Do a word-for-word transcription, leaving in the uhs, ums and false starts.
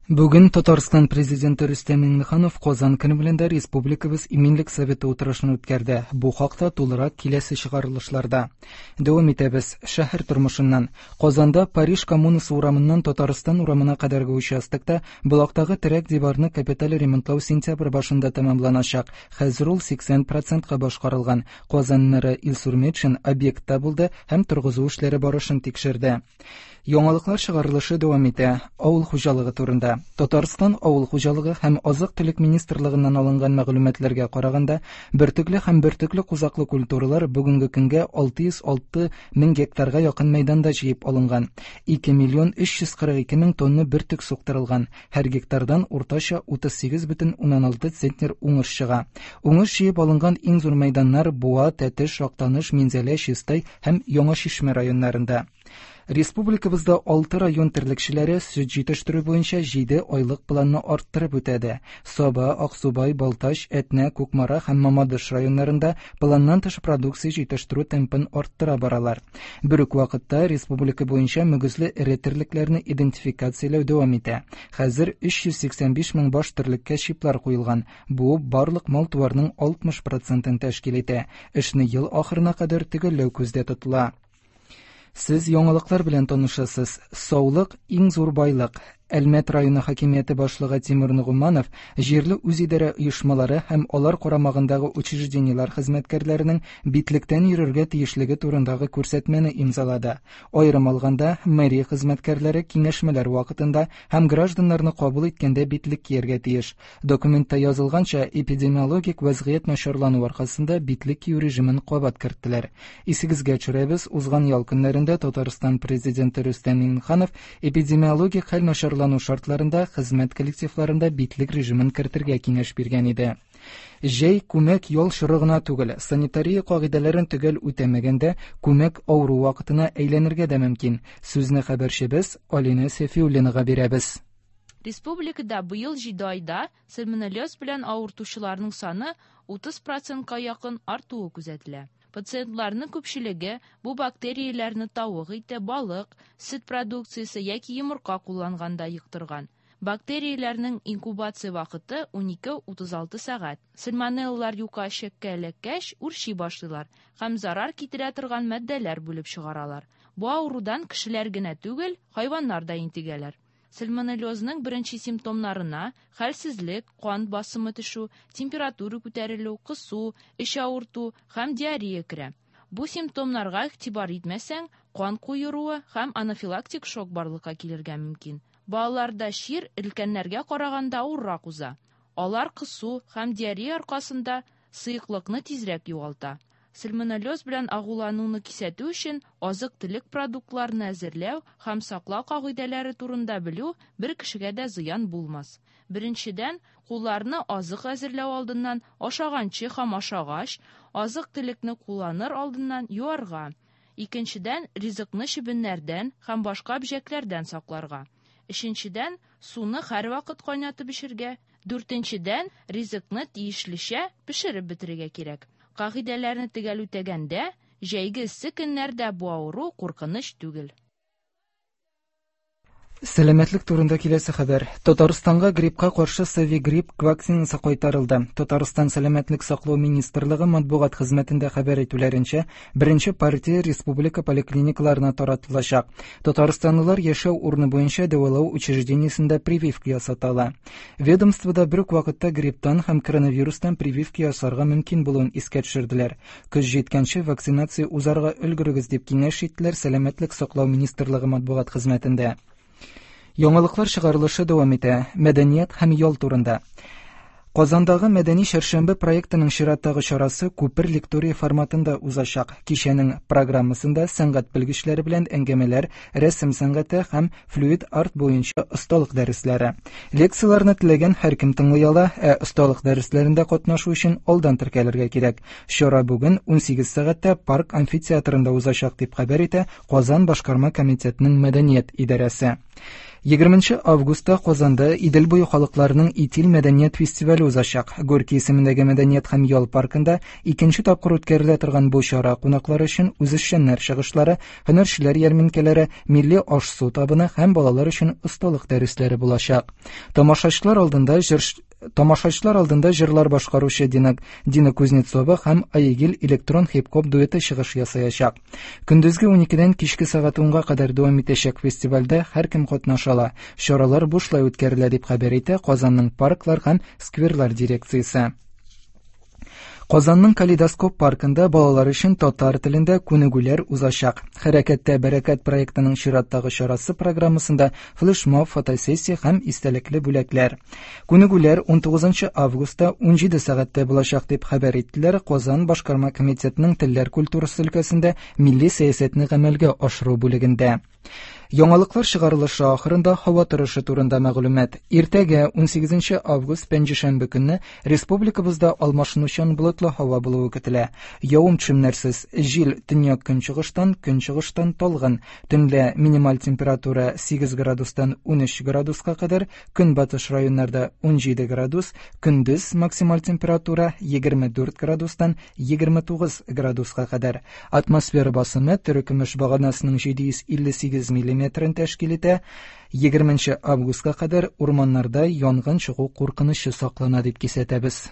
Бүген Татарстан президенты Рөстәм Миңнеханов Казан Кремлендә Республикабыз Иминлек советы утырышын үткәрде. Бу хакта тулырак киләсе чыгарылышларда. Дәвам итәбез. Шәһәр тормышыннан. Казанда Париж коммунасы урамыннан Татарстан урамына кадәрге участокта Болактагы терәк диварны капиталь ремонтлау сентябрь башында тәмамланачак. Хәзер ул сиксән процентка башкарылган. Казан мэры Илсур Метшин объектта булды һәм торгызу эшләре барышын тикшерде. Яңалыклар чыгарылышы дәвам итә. Авыл хуҗалыгы турында. Татарстан Авыл хуҗалыгы һәм азык-төлек министрлыгыннан алынган мәгълүматларга караганда, бөртекле һәм бөртекле кузаклы культуралар бүгенге көнгә алты йөз алты мең гектарга якын мәйданда җыеп алынган. Ике миллион өч йөз кырык ике мең тонна бөртек суктырылган. Һәр гектардан уртача утыз сигез бөтен уннан алты центнер уңыш чыга. Уңыш җыеп алынган иң зур мәйданнар Буа, Тәтеш, Актаныш, Минзәлә, Чистай һәм Яңа Чишмә районнарында. Республикабызда алты район терлекчеләре сөт җитештерү буенча җиде айлык планны арттырып үтәде. Саба, Аксубай, Балтач, Әтнә, Кукмара һәм Мамадыш районнарында планнан тыш продукция җитештерү темпын арттыра баралар. Бер үк вакытта республика буенча мөгезле эре терлекләрне идентификацияләү дәвам итә. Хәзер өч йөз сиксән биш мең баш терлеккә чиплар куелган. Бу барлык мал-туарның алтмыш процентын тәшкил итә. Эшне ел ахырына кадәр төгәлләү күздә тотыла. Сез яңалыклар белән танышасыз. Саулык иң зур байлык. Әлмәт районы хакимияте башлыгы Тимур Нугуманов җирле үзидарә оешмалары һәм алар карамагындагы учреждениеләр хезмәткәрләренең битлектән йөрергә тиешлеге турындагы күрсәтмәне имзалады. Аерым алганда, мэрия хезмәткәрләре киңәшмәләр вакытында һәм гражданнарны кабул иткәндә битлек кияргә тиеш. Документта язылганча, эпидемиологик вазгыять начарлану аркасында битлек кию режимын кабат керттеләр. Исегезгә төшерәбез, узган ял көннәрендә Татарстан президенты Рөстәм Миңнеханов эпидемиологик хәл начарлану шартларында хезмәт коллективларында битлек режимын кертергә киңәш биргән иде. Җәй күмәк ял чоры гына түгел, санитария кагыйдәләрен төгәл үтәмәгәндә күмәк авыру вакытына әйләнергә дә мөмкин. Сүзне хәбәрчебез Алина Сәфиуллинага бирәбез. Республикада быел җиде айда сальмонеллез белән авыртучыларның саны утыз процентка якын артуы күзәтелә. Пациентларның күпчелеге бу бактерияләрне тавык ите, балык, сөт продукциясе яки йомырка кулланганда йоктырган. Бактерияләрнең инкубация вакыты унике утыз алты сәгать. Сальмонеллар юка эчәккә эләккәч үрчи башлыйлар һәм зарар китерә торган матдәләр бүлеп чыгаралар. Бу авырудан кешеләр генә түгел, хайваннар да интегәләр. Сальмонеллезның беренче симптомнарына хәлсезлек, кан басымы төшү, температура күтәрелү, кысу, эч авырту һәм диарея керә. Бу симптомнарга игътибар итмәсәң, кан куеруы һәм анафилактик шок барлыкка килергә мөмкин. Балаларда чир өлкәннәргә караганда авыррак уза. Алар кысу һәм диарея аркасында сыеклыкны тизрәк югалта. Сальмонеллез белән агулануны кисәтү өчен азык-төлек продуктларын әзерләү һәм саклау кагыйдәләре турында белү бер кешегә дә зыян булмас. Беренчедән, кулларны азык әзерләү алдыннан, ашаганчы һәм ашагач, азык-төлекне кулланыр алдыннан юарга. Икенчедән, ризыкны чебеннәрдән һәм башка бөҗәкләрдән сакларга. Өченчедән, суны һәрвакыт кайнатып эчәргә. Дүртенчедән, ризыкны тиешлечә пешереп бетерергә кирәк. Кагыйдәләрне төгәл үтәгәндә, җәйге эссе көннәрдә бу авыру куркыныч түгел. Сәламәтлек турында киләсе хәбәр. Татарстанга гриппка каршы Совигрипп вакцинасы кайтарылды. Татарстан Сәламәтлек саклау министрлыгы матбугат хезмәтендә хәбәр итүләренчә, беренче партия республика поликлиникаларына таратылачак. Татарстанлылар яшәү урыны буенча дәвалау учреждениесендә прививка ясата ала. Ведомствода бер үк вакытта грипптан һәм коронавирустан прививка ясарга мөмкин булуын искә төшерделәр. Көз җиткәнче вакцинация узарга өлгерегез дип киңәш иттеләр Сәламәтлек саклау министрлыгы матбугат хезмәтендә. Яңалыклар чыгарылышы дәвам итә. Мәдәният һәм ял турында. Казандагы Мәдәни чәршәмбе проектының чираттагы чарасы Күпер лектория форматында узачак. Кичәнең программасында сәнгать белгечләре белән әңгәмәләр, рәсем сәнгате һәм флюид арт буенча осталык дәресләре. Лекцияләрне теләгән һәркем тыңлый ала, ә осталык дәресләрендә катнашу өчен алдан теркәлергә кирәк. Чара бүген унсигез сәгатьтә парк амфитеатрында узачак дип хәбәр итә Казан башкарма комитетының мәдәният идарәсе. Егерменче августта Казанда Идел буе халыкларының Итил мәдәният фестивале узачак. Горький исемендәге мәдәният һәм ял паркында икенче тапкыр үткәрелә торган бу чара кунаклар өчен үзешчәннәр чыгышлары, һөнәрчеләр ярминкәләре, милли аш-су табыны һәм балалар өчен осталык дәресләре булачак. Тамашачылар алдында җыр Тамашачылар алдында җырлар башкаручы Дина, Дина Кузнецова һәм Айгил электрон хип-хоп дуэты чыгыш ясаячак. Көндезге уникедән кичке сәгать унга кадәр дәвам итәчәк фестивальдә һәркем катнаша ала. Чаралар бушлай үткәрелә дип хәбәр итә Казанның парклар һәм скверлар дирекциясе. Казанның Калейдоскоп паркында балалар өчен татар телендә күнегүләр узачак. Хәрәкәттә бәрәкәт проектының чираттагы чарасы программасында флешмоб, фотосессия һәм истәлекле бүләкләр. Күнегүләр унтугызынчы августта унҗиде сәгатьтә булачак дип хәбәр иттеләр Казан башкарма комитетының телләр культурасы өлкәсендә милли сәясәтне гамәлгә ашыру бүлегендә. Яңалыклар чыгарылышы ахырында һава торышы турында мәгълүмат. Иртәгә унсигезенче август пәнҗешәмбе көнне республикабызда алмашынучан болытлы һава булуы көтелә. Явым-төшемнәрсез, җил төньяк көнчыгыштан, көнчыгыштан талгын. Төнлә минималь температура сигез градустан унөч градуска кадәр, көнбатыш районнарда унҗиде градус, көндез максималь температура егерме дүрт градустан егерме тугыз градуска кадәр. Атмосфера басымы терекөмеш баганасының җиде йөз илле сигез миллиметрын тәшкил итә. Егерменче августка кадәр урманнарда янгын чыгу куркынычы саклана дип кисәтәбез.